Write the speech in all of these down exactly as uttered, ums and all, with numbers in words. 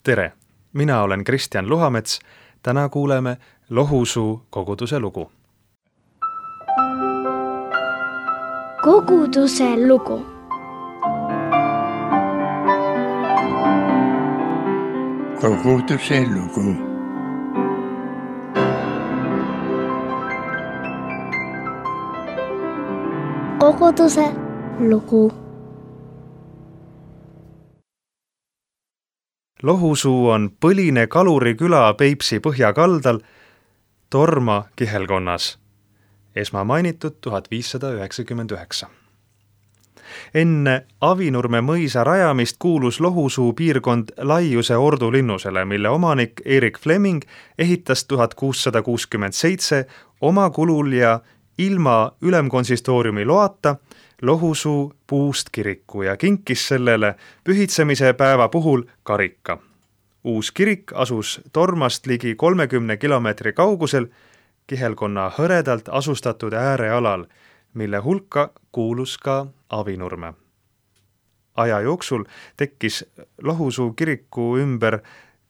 Tere! Mina olen Kristjan Luhamets. Täna kuuleme Lohusuu koguduse lugu. Koguduse lugu. Koguduse lugu. Koguduse lugu. Lohusuu on põline kaluriküla Peipsi põhjakaldal Torma kihelkonnas. Esmamainitud tuhat viissada üheksakümmend üheksa. Enne Avinurme mõisa rajamist kuulus Lohusuu piirkond Laiuse ordulinnusele, mille omanik Erik Fleming ehitas tuhat kuussada kuuskümmend seitse oma kulul ja ilma ülemkonsistooriumi loata Lohusuu puust kiriku ja kinkis sellele pühitsemise päeva puhul karika. Uus kirik asus Tormast ligi kolmekümne kilomeetri kaugusel kihelkonna hõredalt asustatud äärealal, mille hulka kuulus ka Avinurme. Aja jooksul tekkis Lohusuu kiriku ümber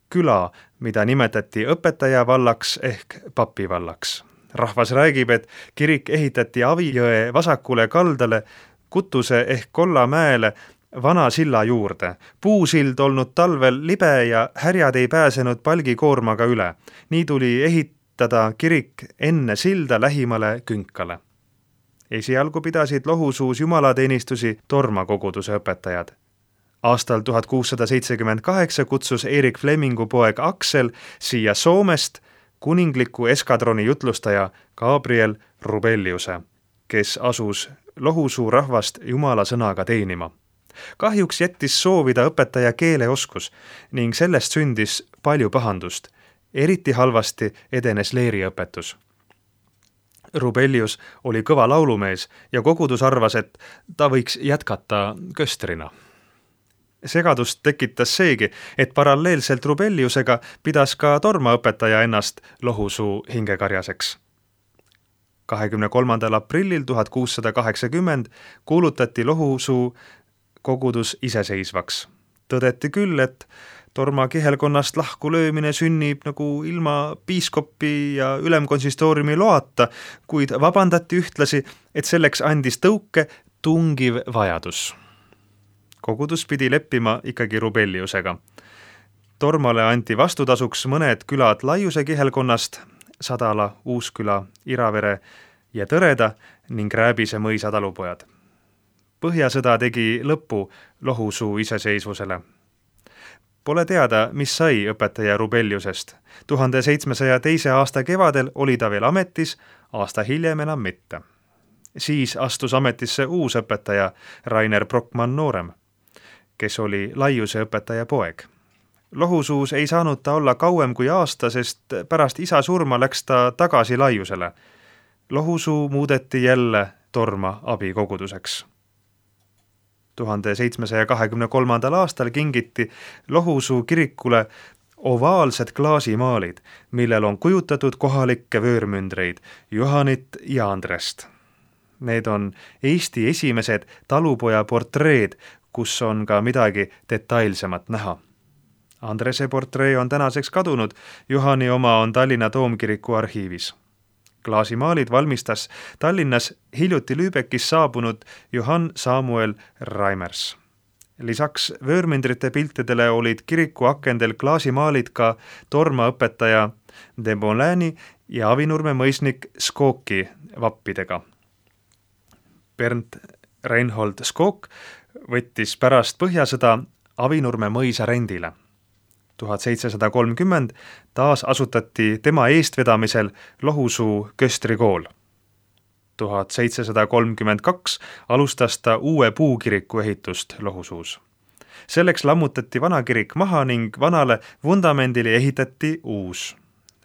küla, mida nimetati õpetajavallaks ehk papivallaks. Rahvas räägib, et kirik ehitati Avijõe vasakule kaldale Kutuse ehk Kollamäele vana silla juurde. Puusild olnud talvel libe ja härjad ei pääsenud palgikoormaga üle. Nii tuli ehitada kirik enne silda lähimale künkale. Esialgu pidasid Lohusuus jumalateenistusi Torma koguduse õpetajad. Aastal tuhat kuussada seitsekümmend kaheksa kutsus Erik Flemingu poeg Aksel siia Soomest kuningliku eskadroni jutlustaja Gabriel Rubelliuse, kes asus Lohusuu rahvast jumala sõnaga teenima. Kahjuks jättis soovida õpetaja keeleoskus ning sellest sündis palju pahandust. Eriti halvasti edenes leeriõpetus. Rubellius oli kõva laulumees ja kogudus arvas, et ta võiks jätkata köstrina. Segadust tekitas seegi, et paralleelselt Rubelliusega pidas ka Torma õpetaja ennast Lohusuu hingekarjaseks. kahekümne kolmandal aprillil tuhat kuussada kaheksakümmend kuulutati Lohusuu kogudus iseseisvaks. Tõdeti küll, et Torma kihelkonnast lahku löömine sünnib nagu ilma piiskopi ja ülemkonsistooriumi loata, kuid vabandati ühtlasi, et selleks andis tõuke tungiv vajadus. Kogudus pidi leppima ikkagi Rubelliusega. Tormale anti vastutasuks mõned külad Laiuse kihelkonnast, Sadala, Uusküla, Iravere ja Tõreda ning Rääbise mõisa talupojad. Põhjasõda tegi lõpu Lohusuu iseseisvusele. Pole teada, mis sai õpetaja Rubelliusest. tuhande seitsmesaja teise aasta kevadel oli ta veel ametis, aasta hiljem enam mitte. Siis astus ametisse uus õpetaja Rainer Brockmann noorem, kes oli Laiuse õpetaja poeg. Lohusuus ei saanud ta olla kauem kui aasta, sest pärast isa surma läks ta tagasi Laiusele. Lohusuu muudeti jälle Torma abikoguduseks. tuhande seitsmesaja kahekümne kolmandal aastal kingiti Lohusuu kirikule ovaalsed klaasimaalid, millel on kujutatud kohalikke vöörmündreid Johanit ja Andrest. Need on Eesti esimesed talupoja portreed, kus on ka midagi detailsemat näha. Andrese portree on tänaseks kadunud, Johani oma on Tallinna Toomkiriku arhiivis. Klaasimaalid valmistas Tallinnas hiljuti Lübeckis saabunud Johann Samuel Reimers. Lisaks vöörmündrite piltidele olid kiriku akendel klaasimaalid ka Torma õpetaja de Molani ja Avinurme mõisnik Skoki vappidega. Bernd Reinhold Skok võttis pärast põhjasõda Avinurme mõisa rendile. tuhat seitsesada kolmkümmend taas asutati tema eestvedamisel Lohusuu köstrikool. tuhat seitsesada kolmkümmend kaks alustas ta uue puukiriku ehitust Lohusuus. Selleks lammutati vana kirik maha ning vanale vundamendile ehitati uus.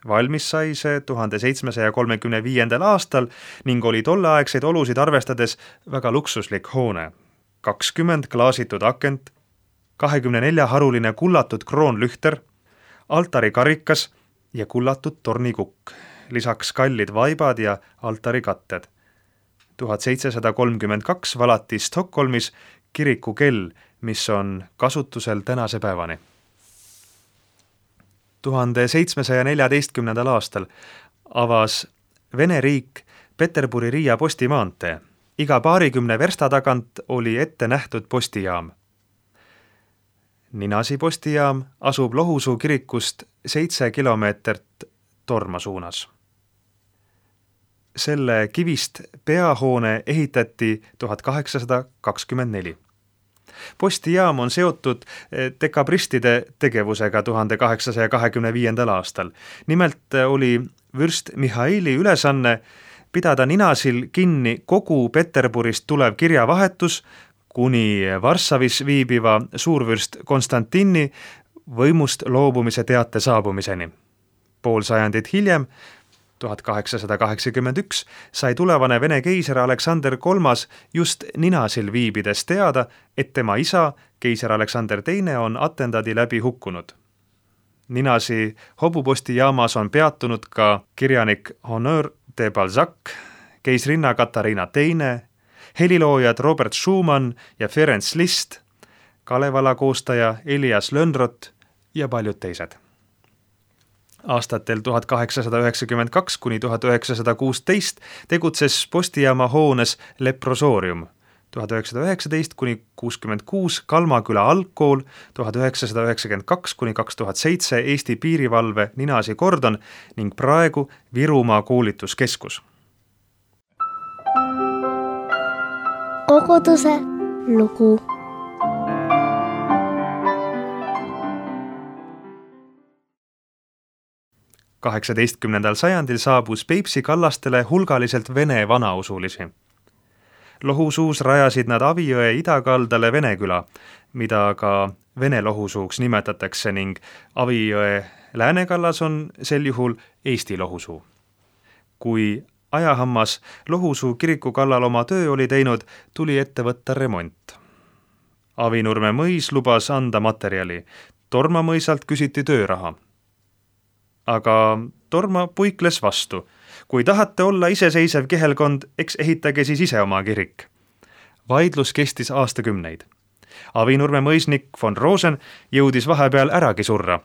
Valmis sai see tuhande seitsmesaja kolmekümne viiendal aastal ning oli tolleaegseid olusid arvestades väga luksuslik hoone. kakskümmend klaasitud akent, kahekümne nelja haruline kullatud kroonlühter, altari karikas ja kullatud tornikukk, lisaks kallid vaibad ja altari katted. tuhat seitsesada kolmkümmend kaks valati Stockholmis kiriku kell, mis on kasutusel tänase päevani. tuhande seitsmesaja neljateistkümnendal aastal avas Vene riik Peterburi-Riia postimaantee. Iga paarikümne versta tagant oli ette nähtud postijaam. Ninasi postijaam asub Lohusuu kirikust seitse kilomeetrit Torma suunas. Selle kivist peahoone ehitati tuhat kaheksasada kakskümmend neli. Postijaam on seotud dekabristide tegevusega tuhande kaheksasaja kahekümne viiendal aastal. Nimelt oli vürst Mihhaili ülesanne pidada Ninasil kinni kogu Peterburist tulev kirjavahetus kuni Varssavis viibiva suurvürst Konstantini võimust loobumise teate saabumiseni. Pool sajandit hiljem, tuhat kaheksasada kaheksakümmend üks, sai tulevane Vene keiser Aleksander kolmas just Ninasil viibides teada, et tema isa, keiser Aleksander teine, on atentaadi läbi hukkunud. Ninasi hobupostijaamas on peatunud ka kirjanik Honor de Balzac, keisrinna Katariina teine, heliloojad Robert Schumann ja Ferenc Liszt, Kalevala koostaja Elias Lönnrot ja paljud teised. Aastatel tuhat kaheksasada üheksakümmend kaks kuni tuhat üheksasada kuusteist tegutses postijaama hoones Leprosoorium, tuhat üheksasada üheksateist kuni kuuskümmend kuus Kalmaküla algkool, tuhat üheksasada üheksakümmend kaks kuni kaks tuhat seitse Eesti piirivalve Ninasi kordon ning praegu Virumaa koolituskeskus. Koguduse lugu. kaheksateistkümnendal sajandil saabus Peipsi kallastele hulgaliselt vene vanausulisi. Lohusuus rajasid nad Avijõe idakaldale Veneküla, mida ka Vene Lohusuuks nimetatakse ning Avijõe läänekallas on sel juhul Eesti Lohusuu. Kui ajahammas Lohusuu kiriku kallal oma töö oli teinud, tuli ette võtta remont. Avinurme mõis lubas anda materjali, Torma mõisalt küsiti tööraha. Aga Torma puikles vastu. Kui tahate olla iseseisev kihelkond, eks ehitage siis ise oma kirik. Vaidlus kestis aastakümneid. Avinurme mõisnik von Rosen jõudis vahepeal äragi surra.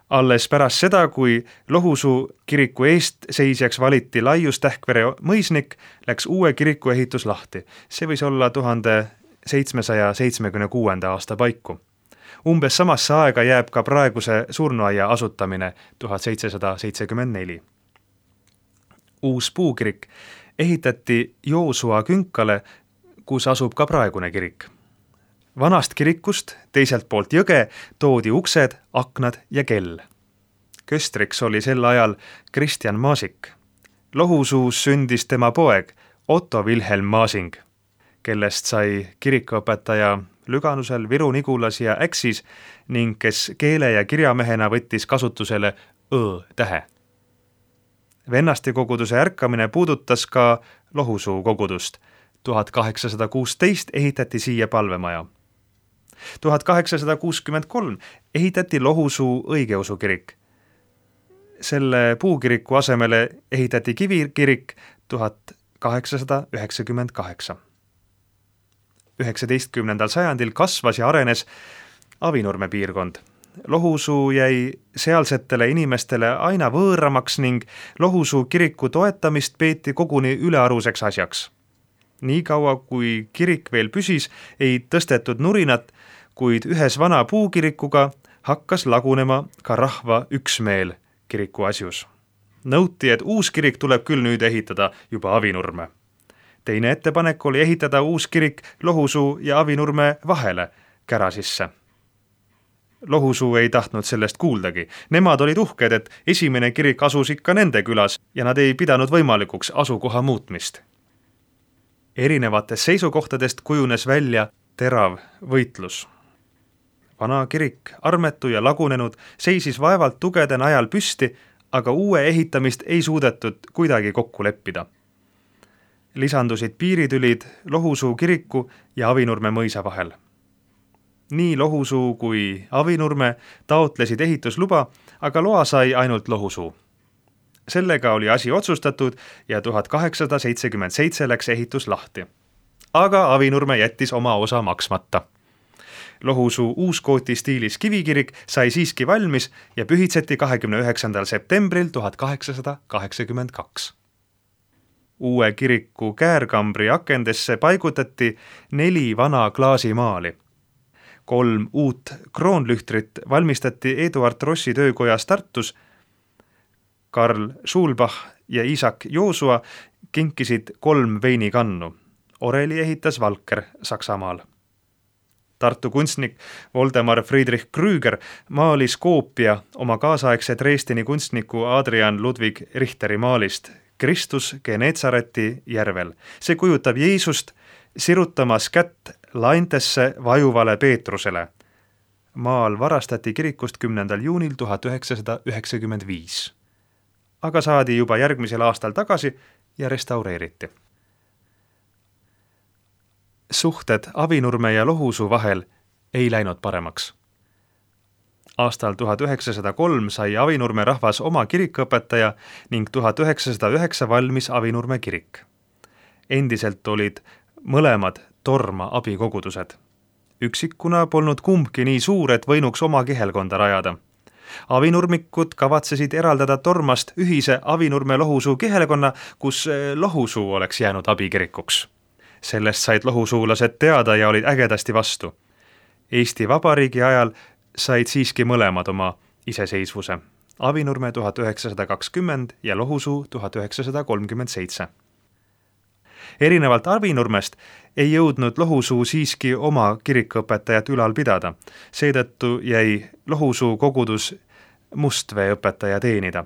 Alles pärast seda, kui Lohusuu kiriku eest seisjaks valiti Laius Tähkvere mõisnik, läks uue kiriku ehitus lahti. See võis olla tuhande seitsmesaja seitsmekümne kuuenda aasta paiku. Umbes samasse aega jääb ka praeguse surnuaia asutamine tuhat seitsesada seitsekümmend neli. Uus puukirik ehitati Joosua künkale, kus asub ka praegune kirik. Vanast kirikust teiselt poolt jõge toodi uksed, aknad ja kell. Köstriks oli sel ajal Kristjan Maasik. Lohusuus sündis tema poeg Otto Wilhelm Maasing, kellest sai kirikuõpetaja Lüganusel, Viru-Nigulas ja Äksis ning kes keele- ja kirjamehena võttis kasutusele õ tähe. Vennaste koguduse ärkamine puudutas ka Lohusuu kogudust. tuhat kaheksasada kuusteist ehitati siia palvemaja. tuhat kaheksasada kuuskümmend kolm ehitati Lohusuu õigeusu kirik. Selle puukiriku asemele ehitati kivikirik tuhat kaheksasada üheksakümmend kaheksa. üheksateistkümnendal sajandil kasvas ja arenes Avinurme piirkond. Lohusuu jäi sealsetele inimestele aina võõramaks ning Lohusuu kiriku toetamist peeti koguni ülearuseks asjaks. Nii kaua, kui kirik veel püsis, ei tõstetud nurinat, kuid ühes vana puukirikuga hakkas lagunema ka rahva üksmeel kiriku asjus. Nõuti, et uus kirik tuleb küll nüüd ehitada juba Avinurme. Teine ettepanek oli ehitada uus kirik Lohusuu ja Avinurme vahele kära sisse. Lohusuu ei tahtnud sellest kuuldagi. Nemad olid uhked, et esimene kirik asus ikka nende külas ja nad ei pidanud võimalikuks asukoha muutmist. Erinevatest seisukohtadest kujunes välja terav võitlus. Vana kirik, armetu ja lagunenud, seisis vaevalt tugede najal püsti, aga uue ehitamist ei suudetud kuidagi kokku leppida. Lisandusid piiritülid Lohusuu kiriku ja Avinurme mõisa vahel. Nii Lohusuu kui Avinurme taotlesid ehitusluba, aga loa sai ainult Lohusuu. Sellega oli asi otsustatud ja tuhat kaheksasada seitsekümmend seitse läks ehitus lahti. Aga Avinurme jättis oma osa maksmata. Lohusuu uuskooti stiilis kivikirik sai siiski valmis ja pühitseti kahekümne üheksandal septembril tuhat kaheksasada kaheksakümmend kaks. Uue kiriku käärkambri akendesse paigutati neli vana klaasimaali. Kolm uut kroonlühtrit valmistati Eduard Rossi töökojas Tartus. Karl Schulbach ja Isaac Joosua kinkisid kolm veinikannu. Oreli ehitas Valker Saksamaal. Tartu kunstnik Voldemar Friedrich Krüger maalis koopia oma kaasaegse Dresdeni kunstniku Adrian Ludwig Richteri maalist Kristus Geneetsareti järvel. See kujutab Jeesust sirutamas kätt laintesse vajuvale Peetrusele. Maal varastati kirikust kümnendal juunil tuhat üheksasada üheksakümmend viis. Aga saadi juba järgmisel aastal tagasi ja restaureeriti. Suhted Avinurme ja Lohusuu vahel ei läinud paremaks. Aastal tuhat üheksasada kolm sai Avinurme rahvas oma kirikuõpetaja ning tuhat üheksasada üheksa valmis Avinurme kirik. Endiselt olid mõlemad torma abikogudused. Üksikuna polnud kumbki nii suur, et võinuks oma kihelkonda rajada. Avinurmikud kavatsesid eraldada tormast ühise Avinurme Lohusuu kihelkonna, kus Lohusuu oleks jäänud abikirikuks. Sellest said lohusuulased teada ja olid ägedasti vastu. Eesti Vabariigi ajal said siiski mõlemad oma iseseisvuse. Avinurme tuhat üheksasada kakskümmend ja Lohusuu tuhat üheksasada kolmkümmend seitse. Erinevalt Avinurmest ei jõudnud Lohusuu siiski oma kirikuõpetajat ülal pidada. Seetõttu jäi Lohusuu kogudus mustveeõpetaja teenida.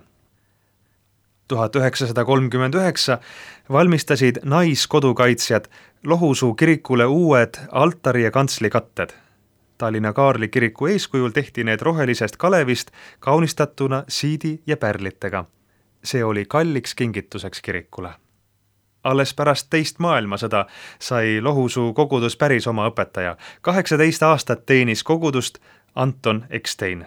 tuhat üheksasada kolmkümmend üheksa valmistasid naiskodukaitsjad Lohusuu kirikule uued altari ja kantsli katted. Tallinna Kaarli kiriku eeskujul tehti need rohelisest kalevist kaunistatuna siidi ja pärlitega. See oli kalliks kingituseks kirikule. Alles pärast teist maailmasõda sai Lohusuu kogudus päris oma õpetaja. kaheksateist aastat teenis kogudust Anton Ekstein.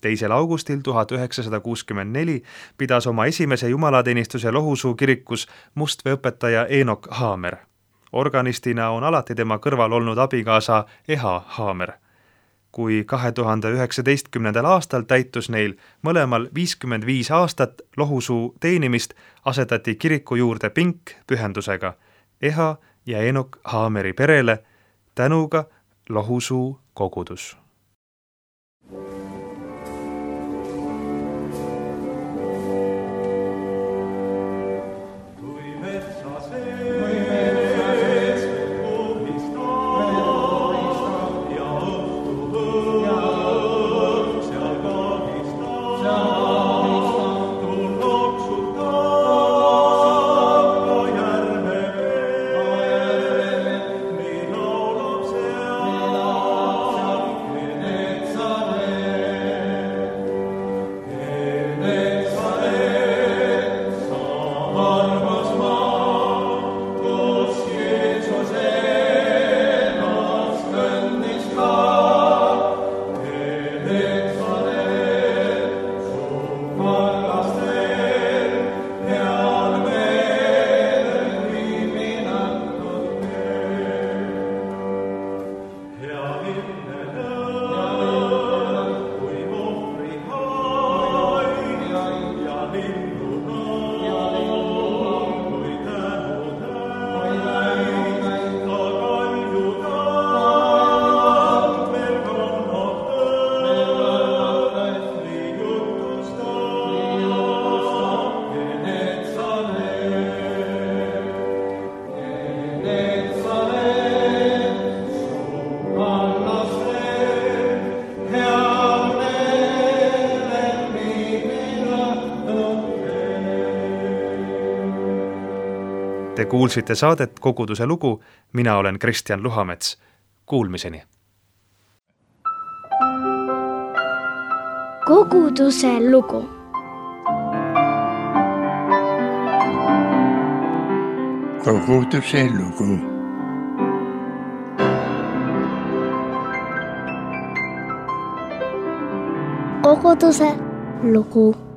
teisel augustil tuhat üheksasada kuuskümmend neli pidas oma esimese jumalateenistuse Lohusuu kirikus mustveeõpetaja Eenok Haamer. Organistina on alati tema kõrval olnud abikaasa Eha Haamer. Kui kahe tuhande üheksateistkümnendal aastal täitus neil mõlemal viiskümmend viis aastat Lohusuu teenimist, asetati kiriku juurde pink pühendusega Eha ja Eenok Haameri perele tänuga Lohusuu kogudus. Te kuulsite saadet Koguduse lugu, mina olen Kristjan Luhamets. Kuulmiseni! Koguduse lugu. Koguduse lugu. Koguduse lugu.